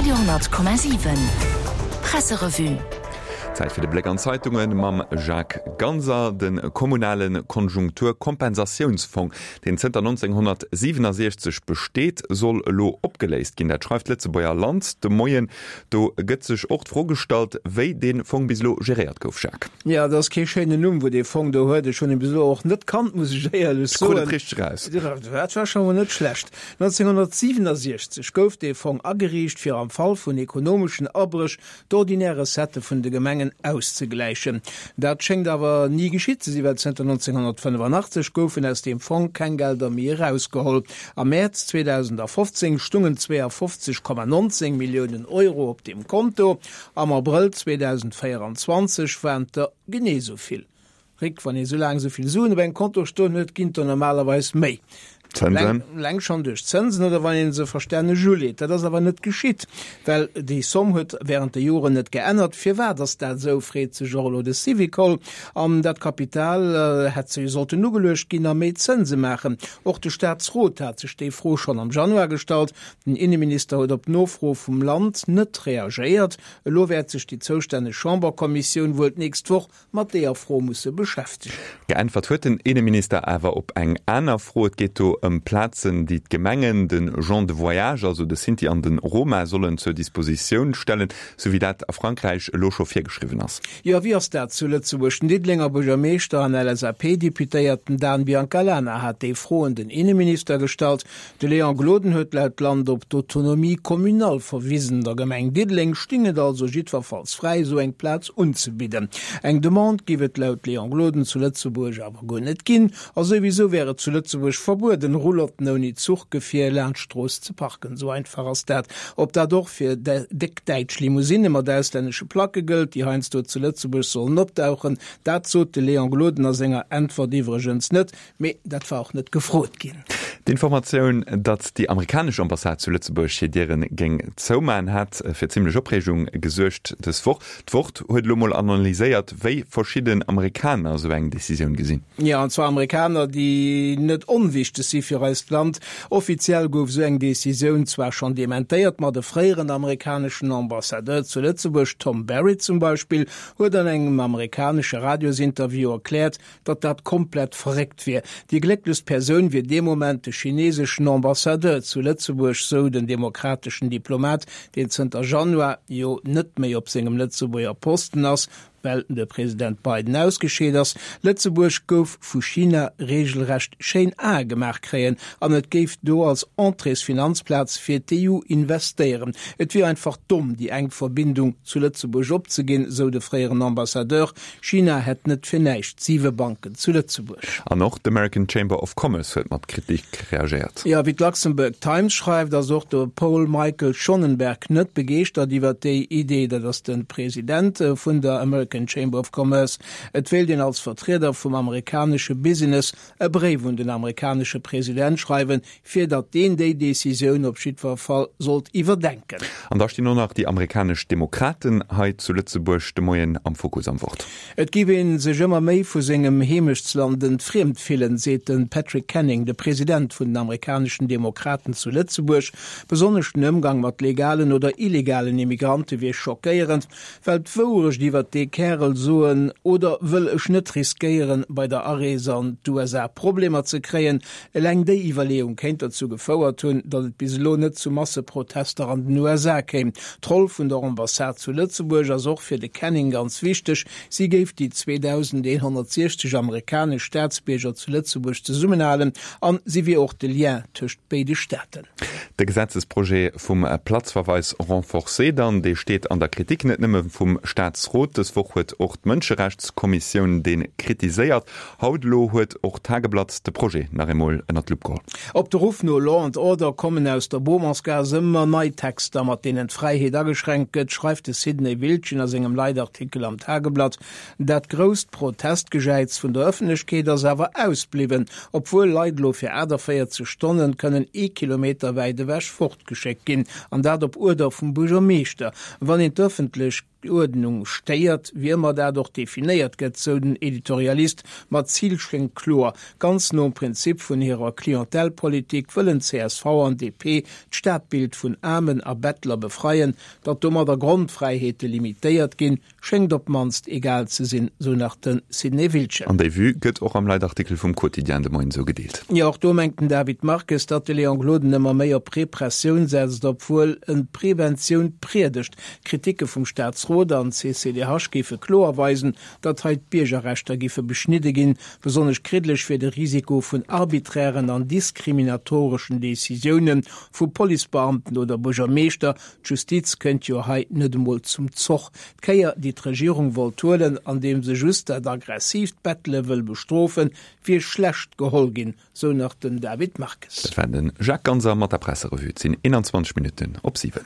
Radio 10,7 Presserevue. Zäit fir de Bléck an d'Zeitunge mam Jacques Ganser. De kommunale Konjunkturkompensatiounsfong, deen zënter 1967 besteet, soll elo opgeléist ginn. Dat schreift d'Lëtzebuerger Land de Moien. Do gëtt sech och d'Fro gestallt, wéi dee Fong bis elo geréiert gouf, Jacques. Jo, dat ass kee schéinen Numm, wou dee Fong do huet. Ech hunn e bis elo och net kannt, muss ech éierlech soen. Krut et richteg eraus. Dat war scho mol net schlecht. 1967 gouf dee Fong ageriicht, fir am Fall vun ekonomeschen Abréch d'ordinär Recettë vun de Gemengen auszegläichen. Dat schéngt awer ni geschitt ze sinn, well zënter 1985 goufen aus deem Fong keng Gelder méi erausgeholl. Am Mäerz 2015 stungen 52,19 Milliounen Euro op deem Konto, am Abrëll 2024 waren et der genee esou vill. Rick, wann ee sou laang sou vill Suen op engem Konto stoen huet, ginn et der normalerweis méi. Zënsen? Eleng schonn duerch d'Zënsen oder wann ee se verstänneg uleet. Dat ass awer net geschitt, well déi Somm huet während de Joren net geännert. Firwat ass dat esou, freet sech och elo de Syvicol. An dat Kapital hätt jo sollten ugeluecht ginn a méi Zënse maachen. Och de Staatsrot hat sech déi Fro schonn am Januar gestallt. Den Inneminister huet op Nofro vum Land net reagéiert. Elo wäert sech déi zoustänneg Chamberkommissioun wuel d'nächst Woch mat deeër Fro musse beschäftegen. Geäntwert huet den Inneminister awer op eng aner Fro. Et geet do ëm Plazen, déi d'Gemengen de Gens de voyage, also de Sinti an de Roma, sollen zur Dispositioun stellen, sou wéi dat a Frankräich elo scho virgeschriwwen ass. Jo, wéi ass dat zu Lëtzebuerg? Den Diddelenger Buergermeeschter an LSAP-Deputéierten Dan Biancalana hat déi Fro un den Inneminister gestallt. De Léon Gloden huet laut Land op d'Autonomie communale verwisen. Der Gemeng Diddeleng sting et also jiddwerfalls fräi, esou eng Plaz unzebidden. Eng Demande géif et laut Léon Gloden zu Lëtzebuerg awer guer net ginn. A souwisou wär et zu Lëtzebuerg verbueden, Roulotten ouni Zuchgefier laanscht d'Strooss ze parken. Esou einfach ass dat. Ob dat och fir déck däitsch Limousinne mat auslännesche Placke gëllt, déi heiansdo zu Lëtzebuerg sollen opdauchen, dat sot de Léon Gloden a senger Äntwert iwwregens net. Mee dat war och net gefrot ginn. D'Informatioun, datt déi amerikanesch Ambassade zu Lëtzebuerg hir Diere géing zoumachen, hat fir zimmlech Opreegung gesuergt dës Woch. D'Wort huet elo mol analyséiert, wéi verschidden Amerikaner esou eng Decisioun gesinn. Jo, an zwar Amerikaner, déi net onwichteg si fir eist Land. Offiziell gouf esou eng Decisioun zwar schonn dementéiert, ma de fréieren amerikaneschen Ambassadeur zu Lëtzebuerg, Tom Barrett zum Beispill, huet an engem amerikanesche Radiosinterview erkläert, datt dat komplett verréckt wier. Déi glécklechst Persoun wier dee Moment de chineseschen Ambassadeur zu Lëtzebuerg, sou den demokrateschen Diplomat, deen zënter Januar jo net méi op sengem Lëtzebuerger Posten ass, well de President Biden ausgescheet ass. Lëtzebuerg gouf vu China reegelrecht schéin Ae gemaach kréien an et géif do als Entréesfinanzplaz fir d'EU investéieren. Et wier einfach domm, déi enk Verbindung zu Lëtzebuerg opzeginn, sou de fréieren Ambassadeur. China hätt net fir näischt siwe Banken zu Lëtzebuerg. An och d'American Chamber of Commerce huet mat Kritik reagéiert. Jo, wéi d'Luxembourg Times schreift, ass och de Paul Michael Schonenberg net begeeschtert iwwer déi Idee. Dat ass de President vun der American Chamber of Commerce. Et wéilt een als Vertrieder vum amerikanesche Business e Bréif un den amerikanesche President schreiwen, fir datt deen déi Decisioun op jiddwer Fall sollt iwwerdenken. An da stinn och nach déi amerikanesch Demokraten hei zu Lëtzebuerg de Moien am Fokus am Wort. Et géif ee sech ëmmer méi vu sengem Heemechtsland entfriemt fillen, seet de Patrick Canning, de President vun den amerikaneschen Demokraten zu Lëtzebuerg. Besonnesch den Ëmgang mat legalen oder illegalen Immigrante wier schockéierend. Well d'Wourecht iwwert dee Kärel soen oder wëll ech net riskéieren, bei der Arees an d'USA Problemer ze kréien? Eleng déi Iwwerleeung kéint derzou gefouert hunn, datt et bis elo net zu Masseprotester an den USA kéim. D'Roll vun der Ambassade zu Lëtzebuerg ass och fir de Canning ganz wichteg. Si géif déi 2.160 amerikanesch Staatsbierger zu Lëtzebuerg zesummenhalen an si wier och de Lien tëscht béide Staaten. De Gesetzesprojet vum Platzverweis renforcé dann, dee steet an der Kritik, net nëmme vum Staatsrot. Dës Woch huet och d'Mënscherechtskommissioun dee kritiséiert. Haut elo huet och d'Tageblatt de Projet nach eemol ënner d'Lupp geholl. Op de Ruff no Law and Order kommen aus der Beaumontsgaass ëmmer nei Texter, mat deenen d'Fräiheet ageschränkt gëtt, schreift de Sidney Wildgen a sengem Leitartikel am Tageblatt. Dat grousst Protestgejäiz vun der Ëffentlechkeet ass awer ausbliwwen, obwuel Leit elo fir 48 Stonnen kënnen ee Kilometer wäit ewech fortgeschéckt ginn, an dat op Uerder vum Buergermeeschter. Wann een d'Ëffentlech. Uerdnung stéiert, wéi ëmmer dat och definéiert gëtt, sou den Editorialist. Ma d'Zil schéngt kloer, Ganz nom Prinzip vun hirer Clientèle-Politik wëllen csv an DP d'Stadbild vun Aarmen a Bettler befreien. Datt domadder Grondfräiheete limitéiert ginn, schéngt op d'mannst egal ze sinn, sou nach de Sidney Wiltgen. An déi Vue gëtt och am Leitartikel vum Quotidien de Moien esou gedeelt. Jo, och do mengt den David Marques, datt de Léon Gloden ëmmer méi op Repressioun setzt, obwuel en Preventioun priedegt. D'Kritike vum Staatsrot an CCDH géife kloer weisen, datt hei d'Biergerrechter giffe beschnidde ginn. Besonnesch kriddeleg wier de Risiko vun arbiträren an diskriminatoreschen Decisioune vu Policebeamten oder Buergermeeschter. D'Justiz kënnt jo hei net emol zum Zoch. D'Kéier, déi d'Regierung wollt huelen, andeem se just dat aggressiivt Bettele wëll bestrofen, wier schlecht geholl ginn, sou nach den David Marques. Dat war de Jacques Ganser mat der Presserevue. Et sinn 21 Minutten op 7.